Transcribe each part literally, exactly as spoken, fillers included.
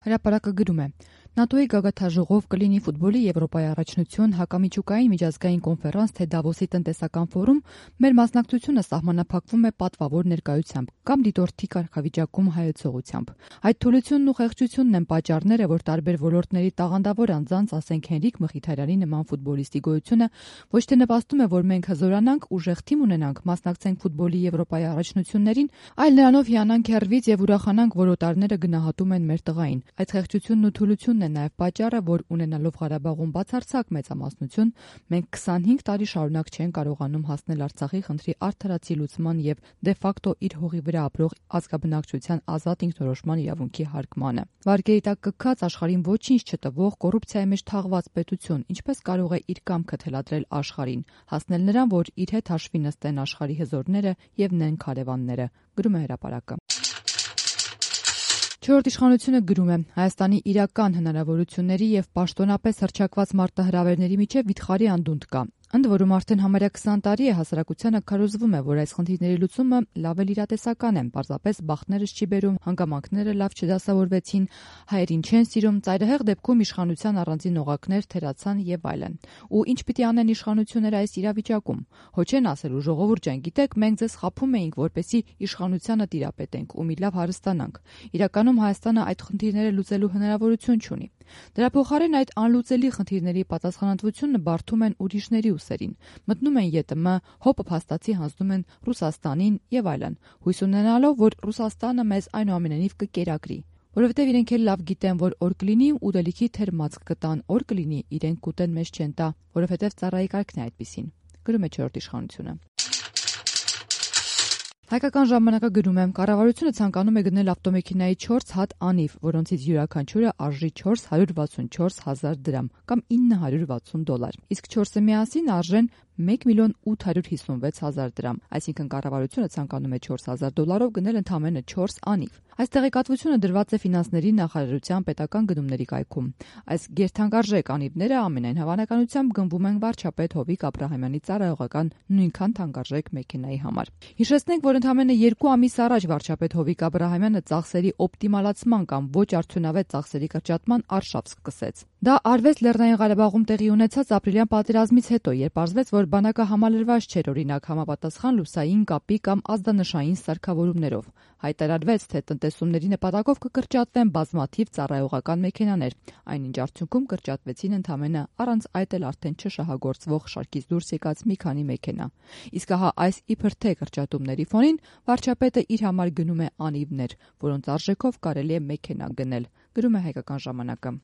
Հրապարակը գրում է. ՆԱՏՕ-ի գագաթաժողով կլինի ֆուտբոլի Եվրոպայի առաջնություն, հակամիջուկային միջազգային կոնֆերանս, թե Դավոսի տնտեսական ֆորում, մեր մասնակցությունը սահմանափակվում է պատվավոր ներկայությամբ կամ դիտորդի կարգավիճակում հայեցողությամբ։ Այդ թուլությունն ու խեղճությունն են պատճառները, որ տարբեր ոլորտների տաղանդավոր անձանց, ասենք Հենրիկ Մխիթարյանի նման ֆուտբոլիստի գոյությունը ոչ թե նպաստում է, որ մենք հզորանանք, ուժեղ թիմ ունենանք, մասնակցենք ֆուտբոլի Եվրոպայի առաջնություններին, այլ նրանով հիանանք հեռվից եւ ուրախանանք, որ օտարները գնահատում են մեր տղային։ Այդ խեղճությունն ու թուլությունն է նաև պատճառը, որ ունենալով Ղարաբաղում բացարձակ մեծամասնություն, մենք քսանհինգ տարի շարունակ չեն կարողանում հասնել Արցախի խնդրի արդարացի լուծման եւ դե ֆակտո իր հողի վրա ապրող ազգաբնակչության ազատ ինքնորոշման իրավունքի հարգմանը։ Վարկերի տակ կքած աշխարհին ոչինչ չտվող կոռուպցիայի մեջ թաղված պետություն ինչպես կարող է իր կամքը թելադրել աշխարհին, հասնել նրան, որ իր հետ հաշվի նստեն աշխարհի հզորները եւ նեն քարեվանները, գրում է Հրապարակը։ Չորրորդ իշխանությունը գրում է. Հայաստանի իրական հնարավորությունների եւ պաշտոնապես հռչակված մարտահրավերների միջև վիթխարի անդունդ կա։ Ընդ որում արդեն համարյա քսան տարի է հասարակությանը քարոզվում է, որ այս խնդիրների լուծումը լավ էլ իրատեսական է, պարզապես բախտներս չի բերում, հանգամանքները լավ չդասավորվեցին, հայերին չեն սիրում, ծայրահեղ դեպքում իշխանության առանձին օղակներ թերացան եւ այլն։ Ու ինչ պիտի անեն իշխանությունները այս իրավիճակում։ Հո չեն ասելու ժողովուրդ ջան, գիտեք, մենք ձեզ խաբում էինք, որպեսզի իշխանությանը տիրապետենք ու մի լավ հարստանանք։ Իրականում Հայաստանը այդ խնդիրները լուծելու հնարավորություն չունի։ Դրա փոխարեն այդ անլուծելի խնդիրների պատասխանատվությունը բարդում են ուրիշների ուսերին, մտնում են ԵՏՄ, հոպը փաստացի հանձնում են Ռուսաստանին եւ այլն, հույս ունենալով, որ Ռուսաստանը մեզ այնուամենայնիվ կկերակրի, որովհետեւ իրենք էլ լավ գիտեն, որ օր կլինի ուտելիքի թերմացք կտան, օր կլինի իրենք կուտեն մեզ չեն տա, որովհետեւ ծառայի կարգն է այդպիսին, գրում է չորրորդ իշխանությունը։ Հայկական ժամանակը գրում է. Կառավարությունը ցանկանում է գնել ավտոմեքենայի չորս հատ անիվ, որոնցից յուրաքանչյուրը արժի չորս հարյուր վաթսունչորս հազար դրամ կամ ինը հարյուր վաթսուն դոլար, իսկ չորսը միասին արժեն մեկ միլիոն ութ հարյուր հիսունվեց հազար դրամ, այսինքն կառավարությունը ցանկանում է չորս հազար դոլարով գնել ընդամենը չորս անիվ։ Այս տեղեկատվությունը դրված է ֆինանսների նախարարության պետական գնումների կայքում։ Այս գերթանկարժեք անիվները ամենայն հավանականությամբ գնվում են վարչապետ Հովիկ Աբրահամյանի ծառայողական նույնքան թանկարժեք մեքենայի համար։ Հիշեցնենք, որ ընդամենը երկու ամիս առաջ վարչապետ Հովիկ Աբրահամյանը ծախսերի օպտիմալացման կամ ոչ արդյունավետ ծախսերի կրճատման արշավ սկսեց։ Դա արվեց Լեռնային Ղարաբաղում տեղի ունեցած ապրիլյան պատերազմից հետո, երբ պարզվեց, որ բանակը համալրված չէր օրինակ համապատասխան լուսային կապի կամ ազդանշային սարքավորումներով։ Հայտարարվեց, թե տնտեսումների նպատակով կկրճատվեն բազմաթիվ ծառայողական մեքենաներ, այնինչ արդյունքում կրճատվեցին ընդամենը առանց այդ էլ արդեն չշահագործվող շարքից դուրս եկած մի քանի մեքենա։ Իսկ ահա այս իբր թե կրճատումների ֆոնին վարչապետը իր համար գնում է անիվներ, որոնց արժեքով կարելի է մեքենա գնել, գրում է Հայկական ժամանակը։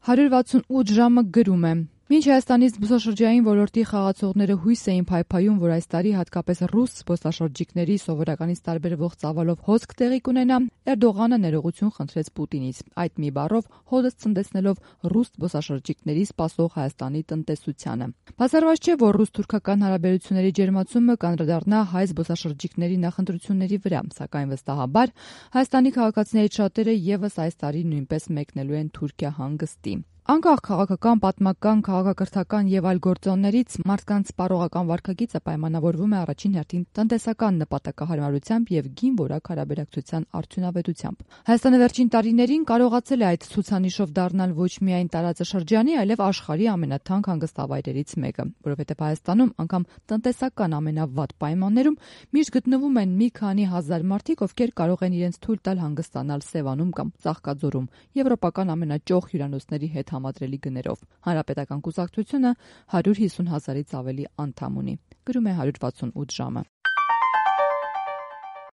հարյուր վաթսունութ ժամը գրում է. Մինչ Հայաստանի զբոսաշրջային ոլորտի խաղացողները հույս էին փայփայում, որ այս տարի հատկապես ռուս զբոսաշրջիկների սովորականից տարբերվող ծավալով հոսք տեղի կունենա, Էրդողանը ներողություն խնդրեց Պուտինից, այդ մի բառով հոդս ցնդեցնելով ռուս զբոսաշրջիկների սպասող Հայաստանի տնտեսությանը։ Բացառված չէ, որ ռուս-թուրքական հարաբերությունների ջերմացումը կանդրադառնա հայ զբոսաշրջիկների նախընտրությունների վրա, սակայն վստահաբար Հայաստանի քաղաքացիներից շատերը եւս այս տարի նույնպես մեկնելու են Թուրքիա հանգստի։ Անկախ քաղաքական, պատմական, քաղաքակրթական եւ այլ գործոններից մարդկանց սպառողական վարքագիծը պայմանավորվում է առաջին հերթին տնտեսական նպատակահարմարությամբ եւ գին որակ հարաբերակցության արդյունավետությամբ։ Հայաստանը վերջին տարիներին կարողացել է այդ ցուցանիշով դառնալ ոչ միայն տարածաշրջանի, այլև աշխարհի ամենաթանկ հանգստավայրերից մեկը, որովհետեւ Հայաստանում անգամ տնտեսական ամենավատ պայմաններում միշտ գտնվում են մի քանի հազար մարդիկ, ովքեր կարող են իրենց թույլ տալ հանգստանալ Սևանում կամ Ծաղկաձորում, եվրոպական ամենաճոխ հյուրանոցների հետ համադրելի գներով։ Հանրապետական կուսակցությունը հարյուր հիսուն հազարից ավելի անդամ ունի, գրում է հարյուր վաթսունութ ժամը։